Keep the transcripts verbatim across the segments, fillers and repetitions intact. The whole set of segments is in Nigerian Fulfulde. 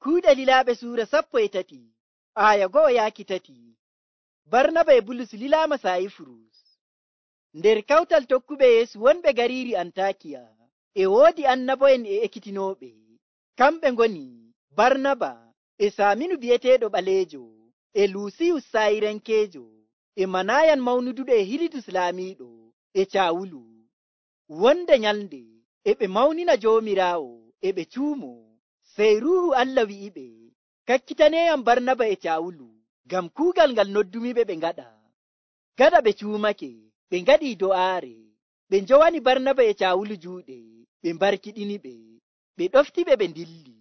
Kuuɗe lilaaɓe suura sappo e tati aya go'o yaaki tati. Barnaba e Bulus lilaama Saayifurus. Nder kawtal tokkuɓe Yeesu wonɓe gariiri Antakiya e woodi annabo'en e ekkitinooɓe. Kamɓe ngoni Barnaba e Saaminu bi'eteeɗo ɓaleejo e Luusiyus Sayrenkeejo e Manayan mawnuduɗo e Hilidus laamiiɗo e Caawulu. Wonde nyalnde e ɓe mawnina Joomiraawo e ɓe cuumo, sey Ruuhu Allah wi'iɓe, kakkitaneeyam Barnaba e Caawulu ngam kuugal ngal noddumiɓe ɓe ngaɗa. Gaɗa ɓe cuumake, ɓe ngaɗii do'aare, ɓe njowani Barnaba e Caawulu juuɗe, ɓe mbarkiɗiniɓe, ɓe ɗoftiɓe ɓe ndilli.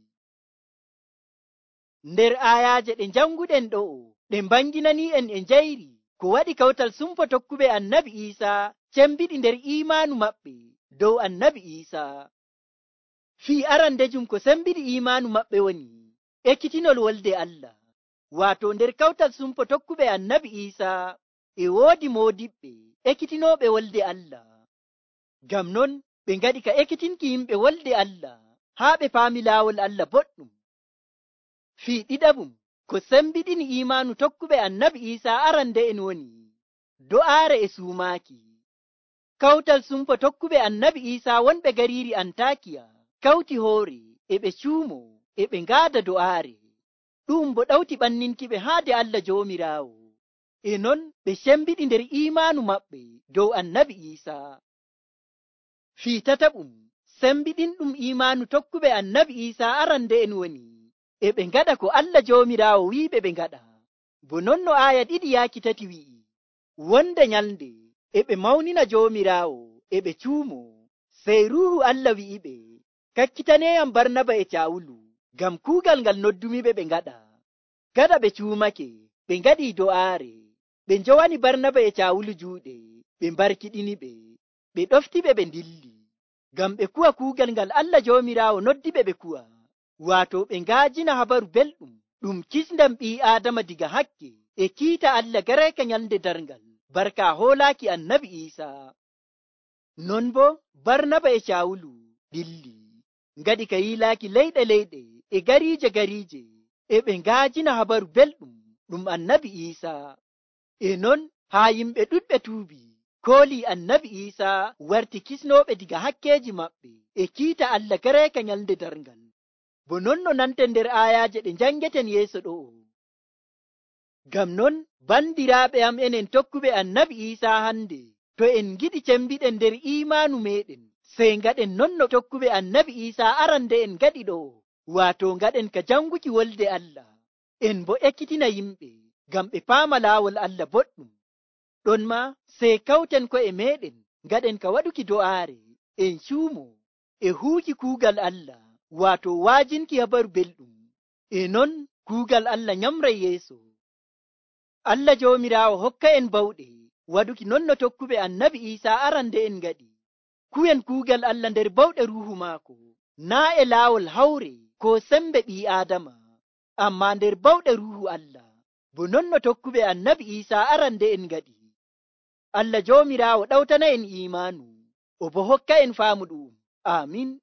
Nder aayaaje ɗe njannguɗen ɗo'o ɗe mbanginani'en e njayri ko waɗi kawtal sumpo tokkuɓe Annabi Iisaa cembiɗi nder iimaanu maɓɓe dow Annabi Iisaa. Fii arandejum ko sembiɗi iimaanu maɓɓe woni ekkitinol wolde Allah. Waato nder kawtal sumpo tokkuɓe Annabi Iisaa e woodi moodiɓɓe ekkitinooɓe wolde Allah. Ngam non ɓe ngaɗi ka ekkitinki yimɓe wolde Allah haa ɓe paami laawol Allah boɗɗum. Fii ɗiɗaɓum ko sembiɗini iimaanu tokkuɓe Annabi Iisaa arande'en woni do'aare e suumaaki. Kawtal sumpo tokkuɓe Annabi Iisaa wonɓe gariiri Antakiya kawti hoore e ɓe cuumo e ɓe ngaada do'aare. Ɗum bo ɗawti ɓanninkiɓe haade Allah Joomiraawo. E non ɓe cembiɗi nder iimaanu maɓɓe dow Annabi Iisaa. Fii tataɓum sembiɗinɗum iimaanu tokkuɓe Annabi Iisaa arande'en woni e ɓe ngaɗa ko Allah Joomiraawo wi'iɓe ɓe ngaɗa. Bo non no aaya ɗiɗi yaaki tati wi'i, wonde nyalnde e ɓe mawnina Joomiraawo e ɓe cuumo, sey Ruuhu Allah wi'iɓe, kakkitaneeyam Barnaba e Caawulu ngam kuugal ngal noddumiɓe ɓe ngaɗa. Gaɗa ɓe cuumake, ɓe ngaɗii do'aare, ɓe njowani Barnaba e Caawulu juuɗe, ɓe mbarkiɗiniɓe, ɓe ɗoftiɓe ɓe ndilli, ngam ɓe kuwa kuugal ngal Allah Joomiraawo noddiɓe ɓe kuwa. Waato ɓe ngaajina habaru belɗum ɗum kisndam ɓii Aadama diga hakke e kiita Allah garayka nyalnde darngal barka hoolaaki Annabi Iisaa. Non bo Barnaba e Caawulu dilli, ngaɗi ka yiilaaki leyɗe leyɗe e gariije gariije, e ɓe ngaajina habaru belɗum ɗum Annabi Iisaa. E non haa yimɓe ɗuɗɓe tuubi, koolii Annabi Iisaa warti kisnooɓe diga hakkeeji maɓɓe e kiita Allah garayka nyalnde darngal. Bo non no nanten nder aayaaje ɗe njangeten yeeso ɗo'o. Ngam non bandiraaɓe am enen tokkuɓe Annabi Iisaa hande, to en ngiɗi cembiɗen nder iimaanu meeɗen, sey ngaɗen non no tokkuɓe Annabi Iisaa arande'en ngaɗi ɗo'o, waato ngaɗen ka janguki wolde Allah, en bo ekkitina yimɓe ngam ɓe paama laawol Allah boɗɗum. Ɗon ma sey kawten ko'e meeɗen ngaɗen ka waɗuki do'aare, en cuumo e huuki kuugal Allah, waato waajinki habaru belɗum. E non kuugal Allah nyamray yeeso. Allah Joomiraawo hokka en bawɗe waɗuki non no tokkuɓe Annabi Iisaa arande'en ngaɗi. Kuwen kuugal Allah nder bawɗe Ruuhu maako, naa e laawol hawre ko sembe ɓii Aadama, ammaa nder bawɗe Ruuhu Allah, bo non no tokkuɓe Annabi Iisaa arande'en ngaɗi. Allah Joomiraawo ɗawtana en iimaanu, o bo hokka en faamu ɗu'um. Aamin.